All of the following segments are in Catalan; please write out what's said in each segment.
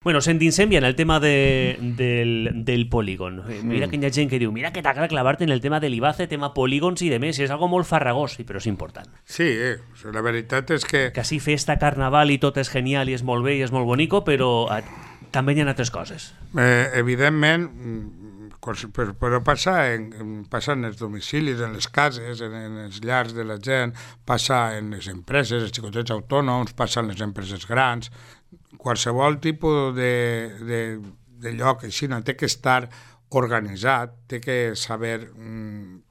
Bueno, s'endinsem ja en el tema del polígon. Mira que hi ha gent que diu, mira que t'agrada clavar-te en el tema de l'IBACE, tema polígons i de més, és algo molt farragós, però és important. Sí, la veritat és que... Que així festa, carnaval i tot és genial i és molt bé i és molt bonico, però també hi ha altres coses. Evidentment, però passa en els domicilis, en les cases, en els llars de la gent, passa en les empreses, els xicotets autònoms, passa en les empreses grans. Qualsevol tipus de lloc així no té que estar organitzat, té que saber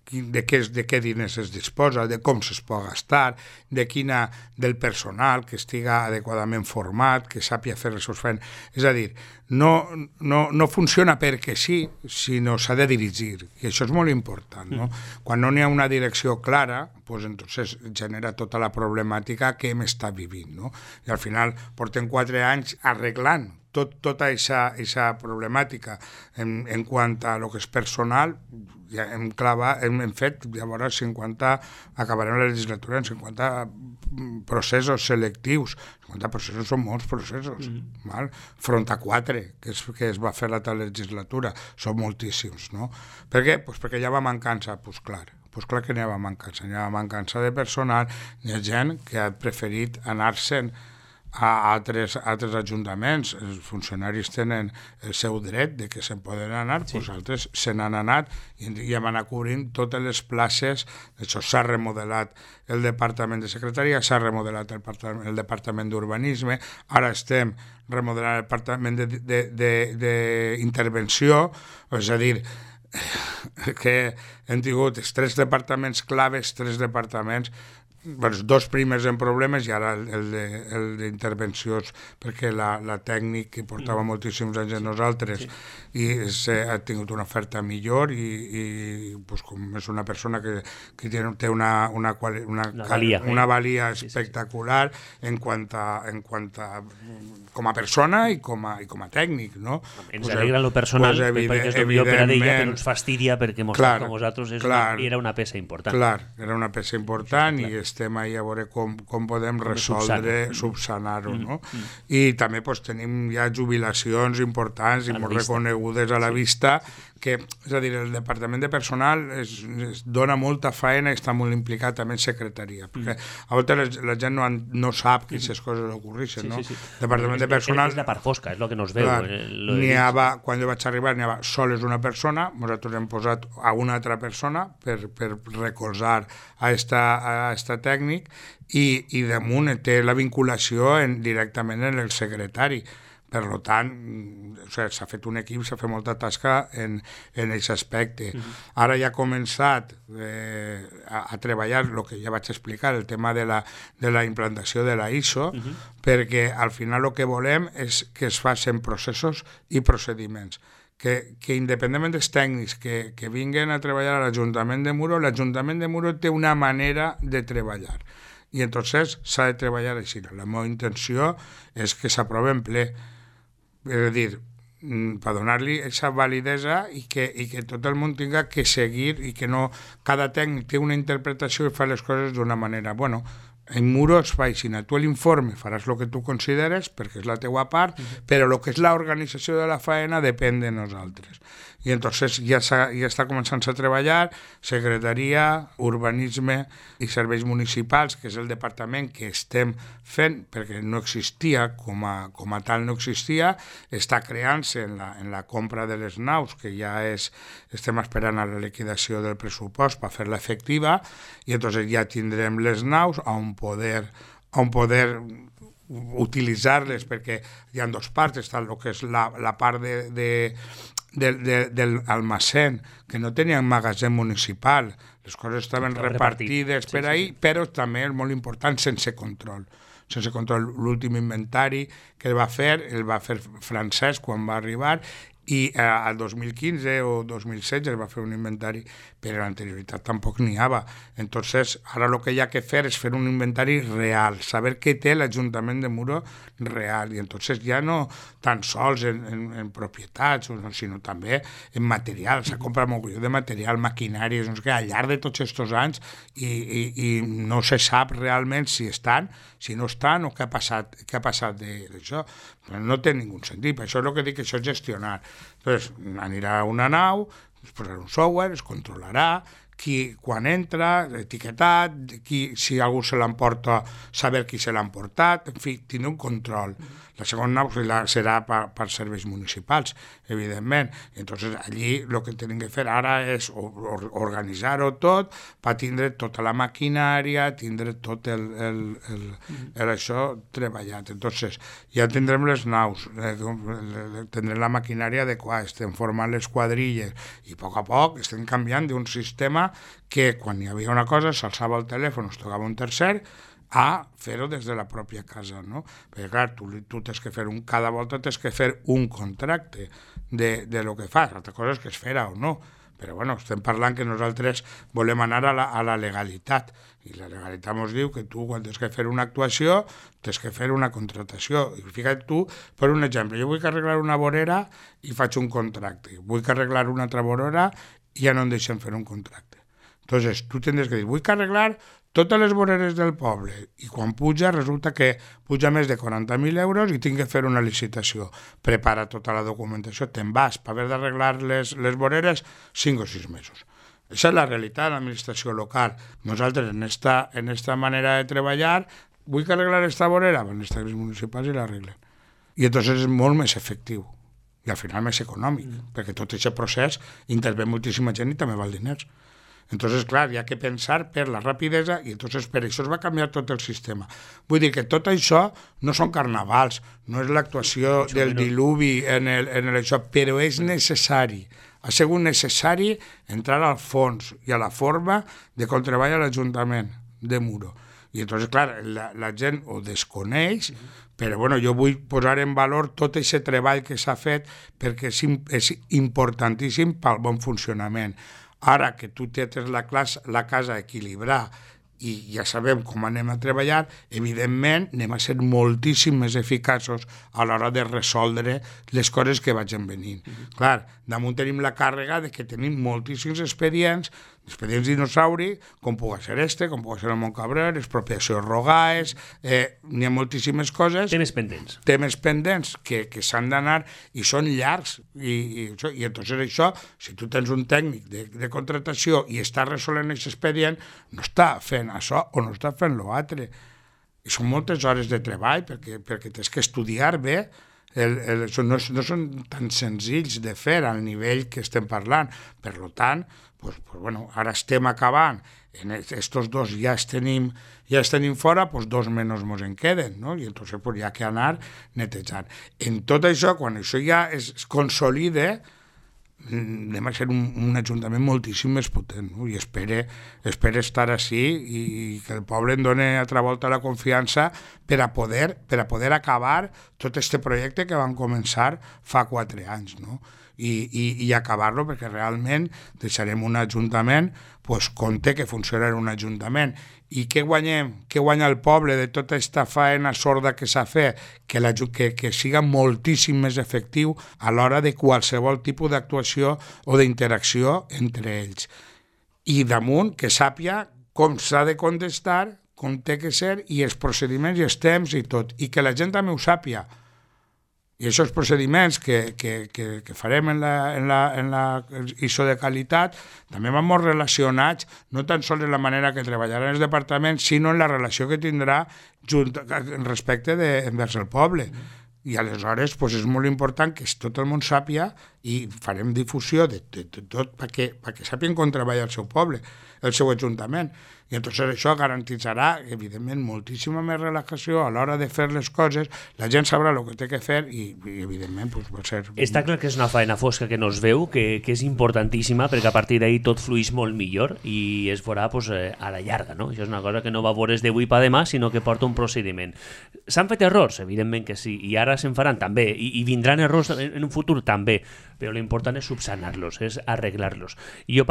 de què diners es disposa, de com se'ls pot gastar, del personal que estiga adequadament format, que sàpia fer les seves feines. És a dir, no funciona perquè sí, sinó s'ha de dirigir, i això és molt important, no? Quan no n'hi ha una direcció clara, pues entonces genera tota la problemàtica que hem estat vivint, no? I al final portem 4 anys arreglant tota aquesta problemàtica en quant a lo que és personal. Ja hem fet, llavors acabarem la legislatura en 50 processos selectius. 50 processos són molts processos, val? Front a 4 que es va fer l'altra legislatura, són moltíssims, no? Per què? Pues perquè hi ha mancança, pues clar que n'hi ha mancança de personal, hi ha gent que ha preferit anar-se'n a altres ajuntaments. Els funcionaris tenen el seu dret de que se'n poden anar, sí. Doncs altres se n'han anat i hem anat cobrint totes les places. Això s'ha remodelat el Departament de Secretaria, s'ha remodelat el Departament d'Urbanisme, ara estem remodelant el Departament d'Intervenció, és a dir, que hem tingut els 3 departaments claves, 3 departaments, els 2 primers en problemes i ara el d'intervencions, perquè la tècnic que portava moltíssims anys amb nosaltres i ha tingut una oferta millor i pues, com és una persona que té una valia espectacular en quant a com a persona i com a tècnic, no? Ens alegra lo personal, perquè és el millor per a ella, però ens fastidia perquè mostrar com vosaltres era una peça important. Clar, era una peça important i estem ahí a veure com podem resoldre, subsanar-ho, no? I també tenim ja jubilacions importants i molt reconegudes a la vista, que, és a dir, el Departament de Personal es dona molta feina i està molt implicat també en secretaria, perquè a vegades la gent no sap que aquestes coses ocorreixen, no? Departament de Personal... És la part fosca, és el que no es veu. Quan jo vaig arribar n'hi havia sols una persona, nosaltres hem posat a una altra persona per recolzar a esta tècnic i damunt té la vinculació directament en el secretari. Per tant, s'ha fet un equip, s'ha fet molta tasca en aquest aspecte. Ara ja ha començat a treballar el que ja vaig explicar, el tema de la implantació de la ISO, perquè al final el que volem és que es facin processos i procediments. Que independentment dels tècnics que vinguen a treballar a l'Ajuntament de Muro, l'Ajuntament de Muro té una manera de treballar. I entonces s'ha de treballar així. La meva intenció és que s'aprovi en ple. És a dir, per donar-li aquesta validesa i que tot el món tinga que seguir i que no cada tècnic té una interpretació i fa les coses d'una manera. Bueno, en Muro es fa així. Tu l'informe faràs el que tu consideres perquè és la teua part, però el que és l'organització de la faena depèn de nosaltres. I entonces ja està començant a treballar Secretaria, Urbanisme i Serveis Municipals, que és el departament que estem fent, perquè no existia, com a tal no existia, està creant-se en la compra de les naus, que ja estem esperant a la liquidació del pressupost per fer-la efectiva, i entonces ja tindrem les naus on poder utilitzar-les, perquè hi ha 2 parts, està el que és la part del almacén, que no tenia magatzem municipal, les coses estaven repartides per ahí, però també és molt important sense control. L'últim inventari que el va fer Francesc quan va arribar, I al 2015 o 2016 es va fer un inventari, però en l'anterioritat tampoc n'hi havia. Entonces, ara el que hi ha que fer és fer un inventari real, saber què té l'Ajuntament de Muro real, i entonces ja no tan sols en propietats, sinó també en material. S'ha comprat molt de material, maquinàries, no sé què, al llarg de tots aquests anys, i no se sap realment si estan, si no estan, o què ha passat d'això. No té ningú sentit, per això és el que dic, que això és gestionar. Entonces, anirà a una nau, es posarà un software, es controlarà, quan entra, etiquetat, si algú se l'emporta, saber qui se l'ha emportat, en fi, tindrà un control. La segona serà per serveis municipals, evidentment. Entonces, allí el que tenim que fer ara és organitzar-ho tot per tindre tota la maquinària, tindre tot això treballat. Entonces, ja tindrem les naus, tindrem la maquinària adequada, estem formant les quadrilles i a poc estem canviant d'un sistema que quan hi havia una cosa s'alçava el telèfon, es tocava un tercer, a fer-ho des de la pròpia casa, no? Perquè, clar, tu tens que fer cada volta tens que fer un contracte de lo que fas. L'altra cosa és que es farà o no. Però, bueno, estem parlant que nosaltres volem anar a la legalitat. I la legalitat ens diu que tu, quan tens que fer una actuació, tens que fer una contratació. I fíjate tu, per un exemple, jo vull que arreglar una vorera i faig un contracte. Vull que arreglar una altra vorera i ja no em deixen fer un contracte. Entonces, tu tindràs que dir, vull que arreglar totes les voreres del poble, i quan puja resulta que puja més de 40.000 euros i tinc que fer una licitació. Prepara tota la documentació, te'n vas per haver d'arreglar les voreres 5 o 6 mesos. Aquesta és la realitat de l'administració local. Nosaltres, en esta manera de treballar, vull que arreglar esta vorera, van els tècnics municipals i l'arreglen. I entonces és molt més efectiu i al final més econòmic, perquè tot aquest procés intervé moltíssima gent i també val diners. Entonces, clar, hi ha que pensar per la rapidesa i entonces per això es va canviar tot el sistema. Vull dir que tot això no són carnavals, no és l'actuació del diluvi en això, però és necessari. Ha sigut necessari entrar al fons i a la forma de com treballa l'Ajuntament de Muro. I entonces, clar, la gent ho desconeix, però bueno, jo vull posar en valor tot aquest treball que s'ha fet perquè és importantíssim pel bon funcionament. Ara que tu tens la casa a equilibrar i ja sabem com anem a treballar, evidentment anem a ser moltíssim més eficaços a l'hora de resoldre les coses que vagin venint. Clar, damunt tenim la càrrega de que tenim moltíssims expedients dinosauri, com pugui ser com pugui ser el Montcabrer, expropiacions rogaes, n'hi ha moltíssimes coses. Temes pendents que s'han d'anar i són llargs. I entonces això, si tu tens un tècnic de contratació i està resolent aquest expedient, no està fent això o no està fent l'altre. I són moltes hores de treball perquè tens que estudiar bé. No són tan senzills de fer al nivell que estem parlant. Per tant, ara estem acabant, en estos dos ja els tenim fora, 2 menys ens en queden, no? I entonces hi ha que anar netejant. En tot això, quan això ja es consolida, anem a ser un ajuntament moltíssim més potent, no? I espero estar així i que el poble em doni altra volta la confiança per a poder acabar tot aquest projecte que vam començar fa 4 anys, no? I acabar-lo, perquè realment deixarem un ajuntament com té que funcionar un ajuntament. I què guanyem? Què guanya el poble de tota aquesta faena sorda que s'ha fet? Que siga moltíssim més efectiu a l'hora de qualsevol tipus d'actuació o d'interacció entre ells. I damunt que sàpia com s'ha de contestar, com té que ser, i els procediments i els temps i tot. I que la gent també ho sàpia. I aquests procediments que farem en la ISO de qualitat també van molt relacionats no tan sols en la manera que treballarà els departaments, sinó en la relació que tindrà respecte envers el poble. I aleshores és molt important que tot el món sàpia i farem difusió de tot perquè sàpien com treballa el seu poble, el seu ajuntament. I entonces això garantitzarà, evidentment, moltíssima més relajació a l'hora de fer les coses, la gent sabrà el que té que fer i evidentment, va ser... Està clar que és una faena fosca que no es veu, que és importantíssima, perquè a partir d'ahir tot flueix molt millor i es veurà a la llarga, no? Això és una cosa que no va veure's d'avui per demà, sinó que porta un procediment. S'han fet errors, evidentment que sí, i ara se'n faran també, i vindran errors en un futur també. però l'important és subsanar-los, és arreglar-los. I jo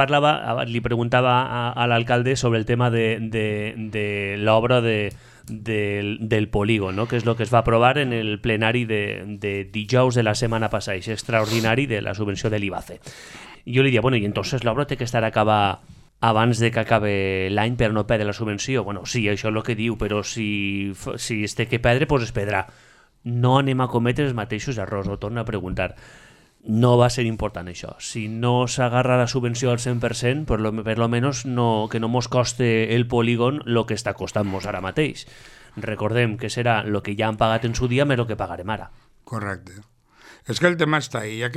li preguntava a l'alcalde sobre el tema de l'obra del polígon, no? Que és el que es va aprovar en el plenari de dijous de la setmana passada, és extraordinari de la subvenció de l'IBACE. I jo li deia, bueno, i entonces l'obra té que estar acabada abans de que acabe l'any per no perdre la subvenció. Bueno, sí, això és el que diu, però si es té que perdre, doncs es perdrà. No anem a cometre els mateixos errors, ho torno a preguntar. No va ser important això. Si no s'agarra la subvenció al 100%, per lo menos que no mos coste el polígon el que està costant-nos ara mateix. Recordem que serà el que ja han pagat en su dia més el que pagarem ara. Correcte. És que el tema està ahí, ja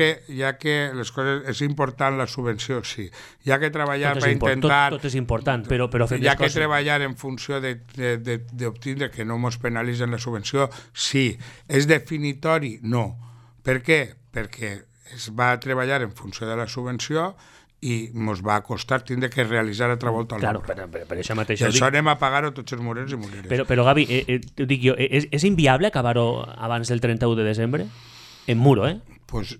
que les coses és important la subvenció, sí. Hi ha que treballar per intentar... Tot és important, però fem les coses... Hi ha que treballar en funció d'obtindre que no ens penalitzen la subvenció, sí. És definitori? No. Per què? Perquè es va treballar en funció de la subvenció i ens va costar tindre que realitzar altra volta l'obra. Claro, per això mateix... I això anem a pagar-ho tots els morers i moreres. Però Gavi, t'ho dic jo, és inviable acabar-ho abans del 31 de desembre? En muro, Pues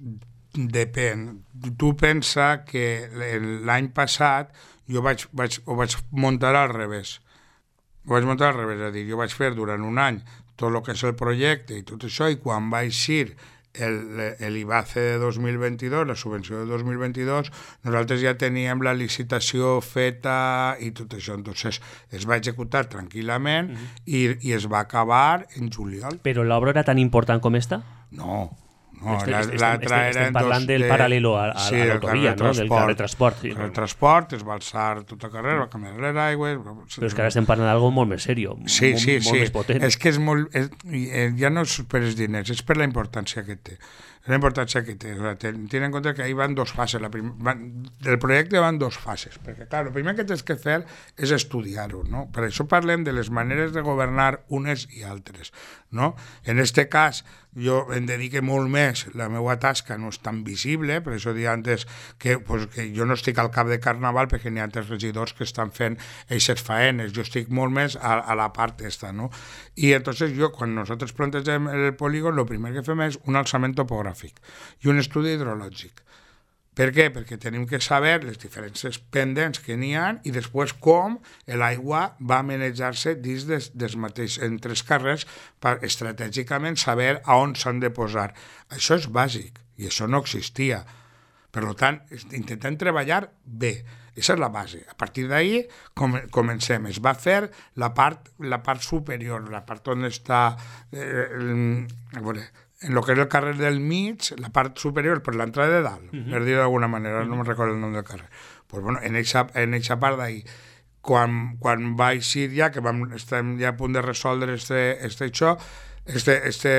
depèn. Tu pensa que l'any passat jo ho vaig muntar al revés. Ho vaig muntar al revés, és a dir, jo vaig fer durant un any tot el que és el projecte i tot això, i quan va eixir l'IBACE de 2022, la subvenció de 2022, nosaltres ja teníem la licitació feta i tot això. Entonces es va executar tranquil·lament i es va acabar en juliol. Però l'obra era tan important com esta? No, estem parlant del paral·lelo a l'autovia, no? Del carrer Transport. El carrer Transport, es va alçar tota carrera, va canviar l'aigua... Però és que ara estem parlant d'algo molt més seriós, molt més potent. És que és molt... ja no és per els diners, és per la importància que té. La importància que té. Ten en compte que ahí van dos fases. Del projecte van dos fases, perquè, clar, el primer que tens que fer és estudiar-ho, no? Per això parlem de les maneres de governar unes i altres, no? En este cas, jo em dedique molt més, la meva tasca no és tan visible, per això dia antes que jo no estic al cap de Carnaval perquè n'hi ha altres regidors que estan fent eixes faenes, jo estic molt més a la part esta, no? I entonces jo, quan nosaltres plantegem el polígon, el primer que fem és un alçament topogràfic i un estudi hidrològic. Per què? Perquè tenim que saber les diferents pendents que n'hi ha i després com l'aigua va manejar-se dins dels mateixos entre els carrers per estratègicament saber a on s'han de posar. Això és bàsic i això no existia. Per tant, intentem treballar bé. Aquesta és la base. A partir d'ahir comencem. Es va fer la part superior, la part on està... a veure, en el que és el carrer del mig, la part superior per l'entrada de dalt, per dir-ho d'alguna manera, no me'n recordo el nom del carrer. Pues bueno, en eixa part d'ahir, quan va eixir ja, que estem ja a punt de resoldre este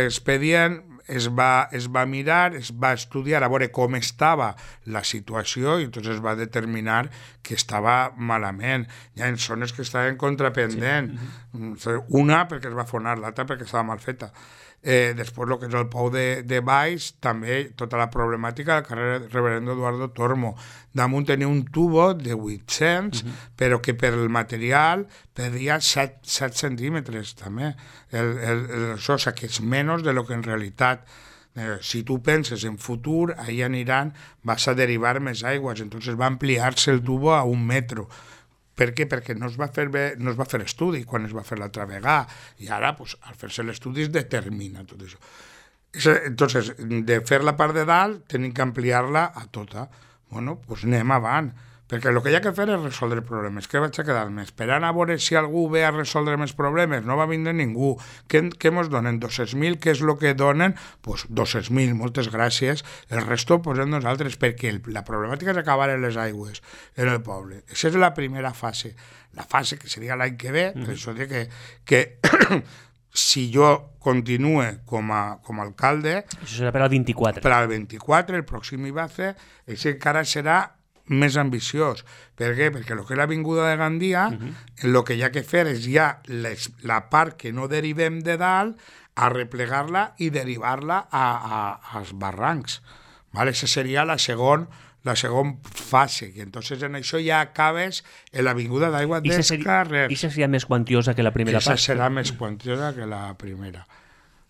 expedient, es va mirar, es va estudiar a veure com estava la situació i entonces es va determinar que estava malament. Hi ha zones que estaven contrapendent. Sí. Una perquè es va fonar, l'altra perquè estava mal feta. Després el que és el pou de baix, també tota la problemàtica del carrer Reverendo Eduardo Tormo. Damunt tenia un tubo de 800, però que per el material perdia 7 centímetres també. Això, o sigui, que és menys de lo que en realitat. Si tu penses en futur, ahí aniran, vas a derivar més aigües, entonces va ampliar-se el tubo a 1 metro. Per què? Perquè no es va fer estudi quan es va fer l'altra vegada i ara, pues, al fer-se l'estudi es determina tot això. Entonces, de fer la part de dalt tenim que ampliar-la a tota. Bueno, pues anem avant, perquè el que hi ha que fer és resoldre problemes. Què vaig a quedar més? Esperant a veure si algú ve a resoldre més problemes? No va vindre ningú. Què ens donen? 200.000? Què és el que donen? Pues 200.000, moltes gràcies. El resto ho posem nosaltres, perquè la problemàtica és acabar en les aigües en el poble. Aquesta és la primera fase. La fase que seria l'any que ve, per això dic que si jo continue com a alcalde... Això serà per al 24. Per al 24, el pròxim IBACE, això encara serà més ambiciós. Per què? Perquè el que és l'Avinguda de Gandia, el que hi ha que fer és ja la part que no derivem de dalt, a replegar-la i derivar-la als barrancs. Aquesta seria la segona fase, i entonces en això ja acabes en l'Avinguda d'Aigua dels Carrers. I seria més quantiosa que la primera part? Serà més quantiosa que la primera.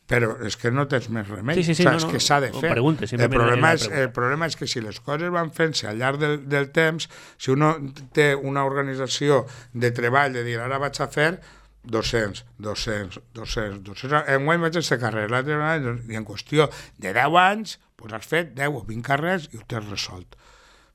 però és que no tens més remei. Sí, és que s'ha de fer. El problema és que si les coses van fent-se al llarg del temps, si uno té una organització de treball, de dir, ara vaig a fer 200, enguany vaig a fer carrers, i en qüestió de 10 anys pues has fet 10 o 20 carrers i ho tens resolt.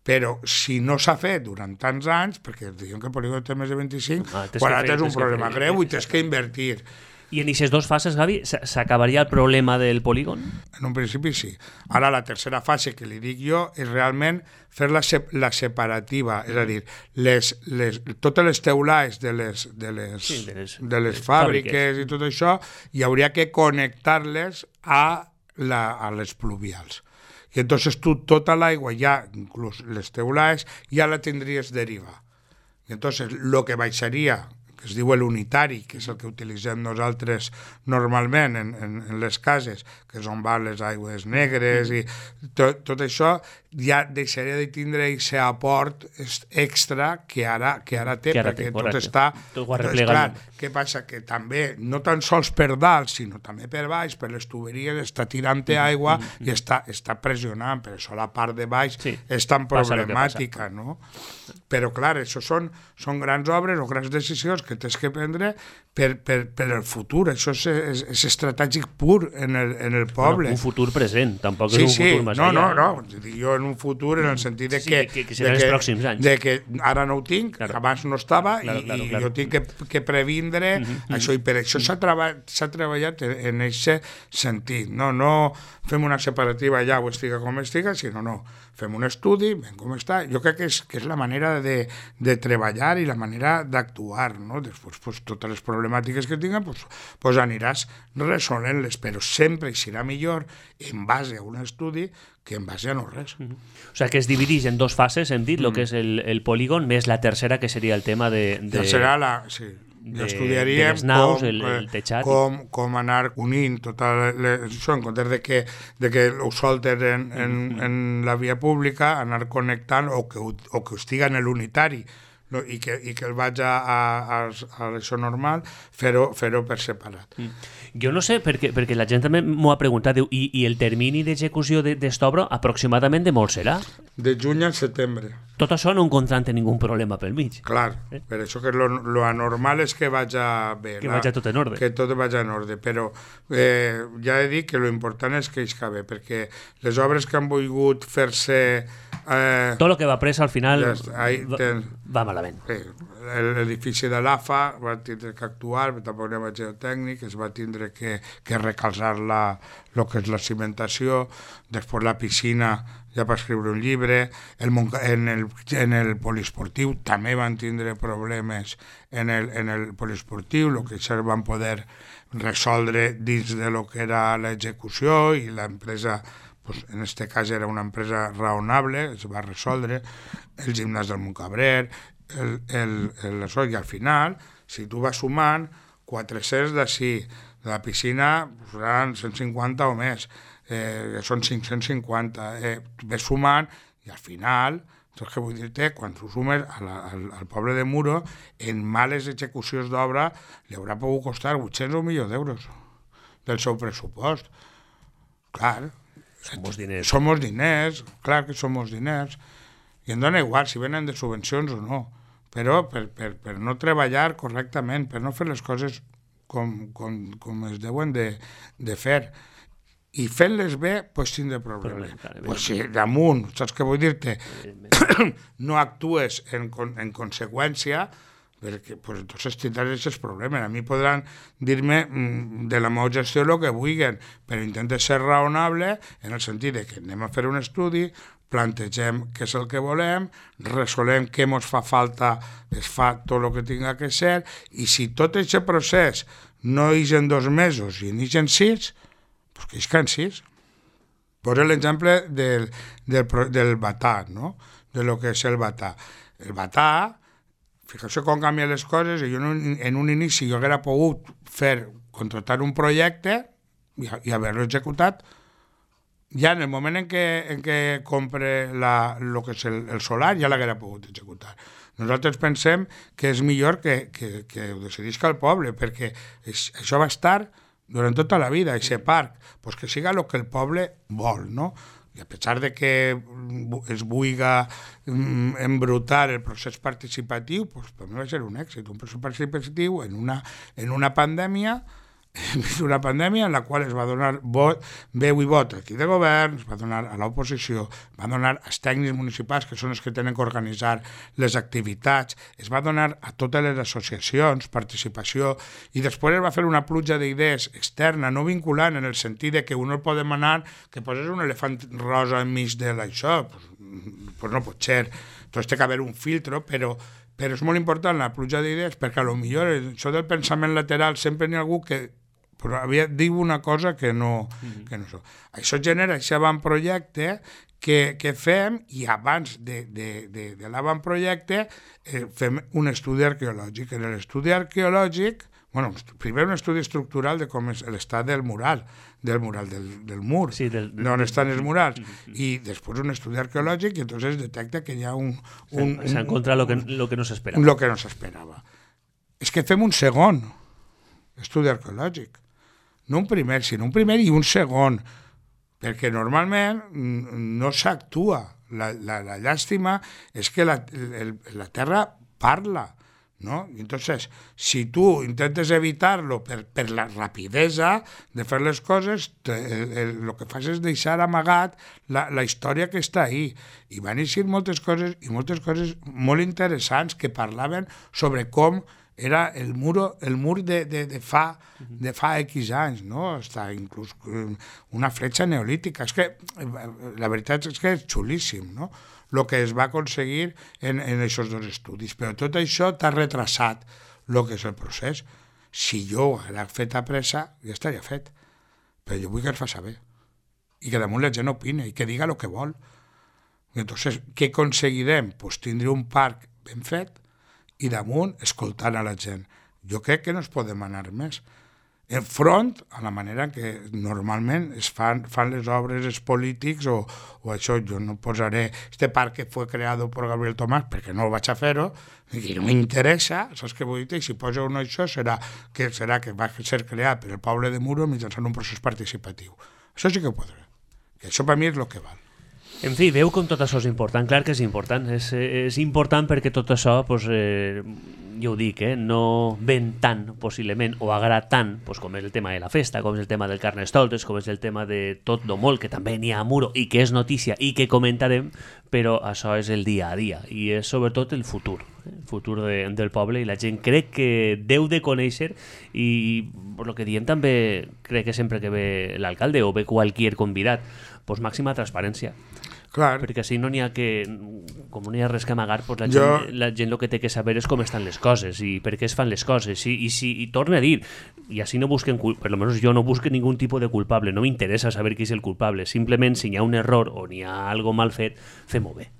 Però si no s'ha fet durant tants anys, perquè diuen que el polígon té més de 25, quan ara tens un problema greu i tens que invertir. I en aquestes dues fases, Gavi, s'acabaria el problema del polígon? En un principi sí. Ara la tercera fase que li dic jo és realment fer la separativa, és a dir, totes les teulades de les fàbriques i tot això, hi hauria que connectar-les a les pluvials. I entonces tu tota l'aigua ja, inclús les teulades, ja la tindries deriva. I entonces lo que baixaria, que es diu l'unitari, que és el que utilitzem nosaltres normalment en les cases, que és on van les aigües negres i tot això, ja deixaria de tindre aquest aport extra que ara té, perquè tot està... Clar, què passa? Que també, no tan sols per dalt, sinó també per baix, per les tuberies, està tirant aigua i està pressionant, per això la part de baix és tan problemàtica, no? Però clar, això són grans obres o grans decisions que tens que prendre per el futur. Això és estratègic pur en el poble. Un futur present, tampoc és un futur més allà. No, jo en un futur en el sentit de que seran els pròxims anys. De que ara no ho tinc, que abans no estava, i jo tinc que previndre això, i per això s'ha treballat en aquest sentit. No fem una separativa allà o estiga com estiga, sinó fem un estudi, ben com està. Jo crec que és la manera de treballar i la manera d'actuar, no? Després, totes les problemàtiques que tinguin, pues aniràs resolent-les, però sempre serà millor en base a un estudi que en base a no res. O sigui que es divideix en dues fases, hem dit, el que és el polígon, més la tercera, que seria el tema de... Serà estudiaríem les naus, el teixat. Com anar unint tot això, en comptes de que ho solten en la via pública, anar connectant o que ho estiga en l'unitari, no? I que el vaig a això normal, fer-ho per separat. Jo no sé, perquè la gent també m'ho ha preguntat, diu, i el termini d'execució d'esta obra aproximadament de molt serà? De juny a setembre. Tot això no encontrant ningú problema pel mig. Clar, per això que lo anormal és que vagi bé. Que vagi tot en ordre. Que tot vagi en ordre, però ja he dit que lo important és que isca bé, perquè les obres que han volgut fer-se... tot el que va pressa al final va malament. L'edifici de l'AFA va tindre que actuar, tampoc anem a geotècnic, es va tindre que recolzar el que és la cimentació, després la piscina ja va escriure un llibre, en el poliesportiu també van tindre problemes en el poliesportiu, el que ja van poder resoldre dins de lo que era l'execució, i l'empresa, pues, en aquest cas era una empresa raonable, es va resoldre, el gimnàs del Montcabrer, i al final, si tu vas sumant 400 d'ací, de la piscina seran 150 o més, són 550, ves sumant, i al final, saps què vull dir-te? Quan tu sumes al poble de Muro, en males execucions d'obra li haurà pogut costar 800 o 1 milió d'euros del seu pressupost. Clar, som diners, clar que som diners, i em dona igual si venen de subvencions o no, però per no treballar correctament, per no fer les coses com es deuen de fer, i fent-les bé, doncs tindré problemes. Pues si damunt, saps què vull dir-te? No actues en conseqüència, perquè pues, entonces tindràs aquests problemes. A mi podran dir-me de la meva gestió el que vulguin, però intente ser raonable en el sentit de que anem a fer un estudi, plantegem què és el que volem, resolem què ens fa falta, es fa tot el que tinga que ser, i si tot aquest procés no és en 2 mesos i és en 6, doncs que és en 6. Poso l'exemple del batà, no? De lo que és el batà. El batà, fixeu-vos com canvien les coses, i jo en un inici jo hauria pogut contractar un projecte i haver-lo executat. Ja en el moment en què compre el que és el solar, ja l'haguera pogut executar. Nosaltres pensem que és millor que ho decidisca el poble, perquè això va estar durant tota la vida, aquest parc, pues que siga el que el poble vol, no? I a pesar de que es vulga embrutar el procés participatiu, pues per mi va ser un èxit, un procés participatiu en una pandèmia, en la qual es va donar veu i vot aquí de govern, es va donar a l'oposició, va donar als tècnics municipals, que són els que tenen que organitzar les activitats, es va donar a totes les associacions participació, i després es va fer una pluja d'idees externa, no vinculant, en el sentit de que un no pot demanar que poses un elefant rosa enmig de l'això, pues no pot ser. Entonces té que haver un filtro, però és molt important la pluja d'idees, perquè a lo millor això del pensament lateral sempre n'hi ha algú que diu una cosa que no so. Això genera aquest avantprojecte que fem, i abans de l'avantprojecte fem un estudi arqueològic. En l'estudi arqueològic, primer un estudi estructural de com és l'estat del mural, del mur, sí, on estan els murals, i després un estudi arqueològic, i entonces detecta que hi ha s'ha encontrat lo que no s'esperava. Lo que no s'esperava. És que fem un segon estudi arqueològic. No un primer, sinó un primer i un segon, perquè normalment no s'actua. La llàstima és que la Terra parla, ¿no? Entonces, si tu intentes evitar-lo per la rapidesa de fer les coses, el que fas és deixar amagat la història que està ahí. I van eixir moltes coses molt interessants que parlaven sobre com era el mur de fa X anys, no? Està inclús una fletxa neolítica. És que la veritat és que és xulíssim, no? El que es va aconseguir en aquests dos estudis. Però tot això t'ha retrasat el que és el procés. Si jo ho hagués fet a pressa, ja estaria fet. Però jo vull que es faci bé. I que damunt la gent opine i que diga el que vol. Entonces, què aconseguirem? Pues tindre un parc ben fet i damunt escoltant a la gent. Jo crec que no es pot demanar més. Enfront a la manera que normalment es fan les obres els polítics o això. Jo no posaré este parc que fue creado por Gabriel Tomàs perquè no ho vaig a fer-ho i no m'interessa, saps què vull dir? Si poso un això serà que va ser creat per el poble de Muro mitjançant un procés participatiu. Això sí que ho podré. I això per mi és el que val. En fi, veu com tot això és important. Clar que és important. És important perquè tot això, pues, jo ho dic, no ven tant, possiblement, o agrada tant, pues, com és el tema de la festa, com és el tema del Carnestoltes, com és el tema de tot lo molt, que també n'hi ha a Muro i que és notícia i que comentarem, però això és el dia a dia i és sobretot el futur del poble, i la gent crec que deu de conèixer, i per lo que diem també crec que sempre que ve l'alcalde o ve qualsevol convidat, pues màxima transparència. Clar. Perquè si no n'hi ha que, com no hi ha res que amagar, pues la gent el que té que saber és com estan les coses i per què es fan les coses, i torna a dir, i així no busquen, per lo menos jo no busco ningú tipus de culpable, no m'interessa saber qui és el culpable, simplement si hi ha un error o n'hi ha algo mal fet, fem-ho bé.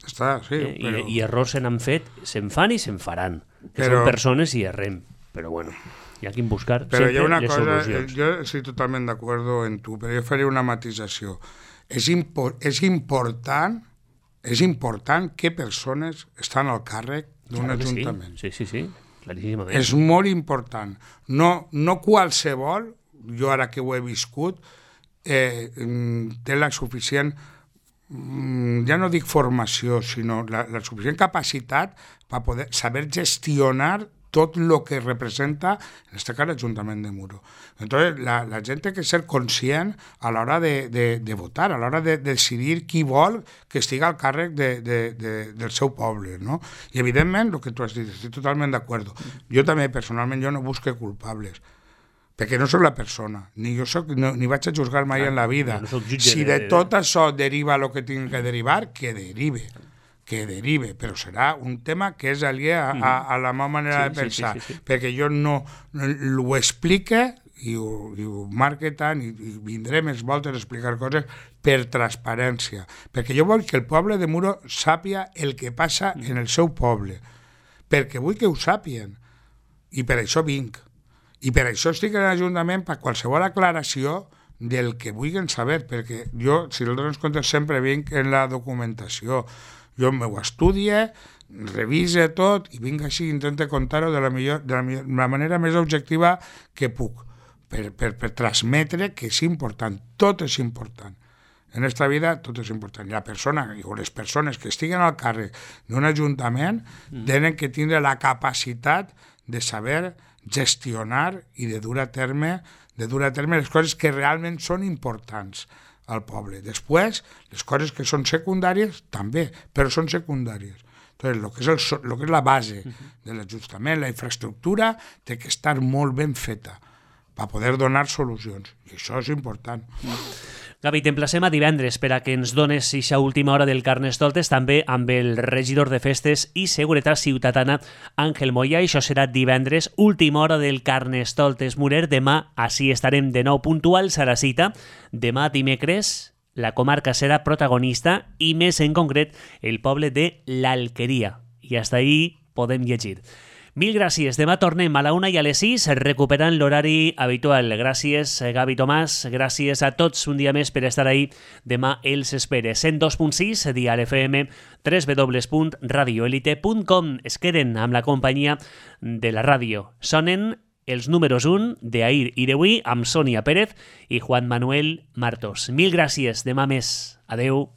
Està, sí, però... I errors se n'han fet, se'n fan i se'n faran, que són persones i errem, però bueno, hi ha que buscar però sempre hi ha una les cosa, solucions. jo estic totalment d'acord en tu, però jo faré una matisació. És important que persones estan al càrrec d'un ajuntament. Sí, claríssimament. És molt important. No qualsevol, jo ara que ho he viscut, té la suficient, ja no dic formació, sinó la suficient capacitat per poder saber gestionar tot el que representa, en este cas, l'Ajuntament de Muro. Entonces, la gent té que ser conscient a l'hora de votar, a l'hora de decidir qui vol que estigui al càrrec del seu poble, no? I, evidentment, el que tu has dit, estic totalment d'acord. Jo també, personalment, jo no busco culpables, perquè no soc la persona, ni vaig a juzgar mai en la vida. Si de tot això deriva el que tingui que derivar, que derive, però serà un tema que és aliè a la meva manera de pensar, perquè jo no ho explique i ho marque tant, i vindré més voltes a explicar coses per transparència, perquè jo vull que el poble de Muro sàpia el que passa en el seu poble, perquè vull que ho sàpien, i per això vinc, i per això estic a l'Ajuntament per qualsevol aclaració del que vulguin saber, perquè jo, si no dones compte, sempre vinc en la documentació. Jo m'ho estudie, revise tot i vinc així i intento contar-ho de la manera més objectiva que puc. per transmetre que és important, tot és important. En esta vida tot és important. I la persona, o les persones que estiguen al càrrec d'un ajuntament tenen que tindre la capacitat de saber gestionar i de dur a terme les coses que realment són importants al poble. Després, les coses que són secundàries, també, però són secundàries. Entonces, lo que és la base de l'ajustament, la infraestructura, té que estar molt ben feta per poder donar solucions. I això és important. Gavi, t'emplacem a divendres per a que ens dones eixa última hora del Carnestoltes, també amb el regidor de Festes i Seguretat Ciutadana, Àngel Moya. Això serà divendres, última hora del Carnestoltes Murer. Demà així estarem de nou puntuals a la cita. Demà dimecres la comarca serà protagonista i més en concret el poble de l'Alqueria. I fins ahí podem llegir. Mil gràcies. Demà tornem a la 1 i a les 6, recuperant l'horari habitual. Gràcies, Gavi Tomàs. Gràcies a tots un dia més per estar ahí. Demà els espere. 102.6, Dial FM, www.radioelite.com. Es queden amb la companyia de la ràdio. Sonen els números 1 d'Ahir i d'avui amb Sònia Pérez i Juan Manuel Martos. Mil gràcies. Demà més. Adeu.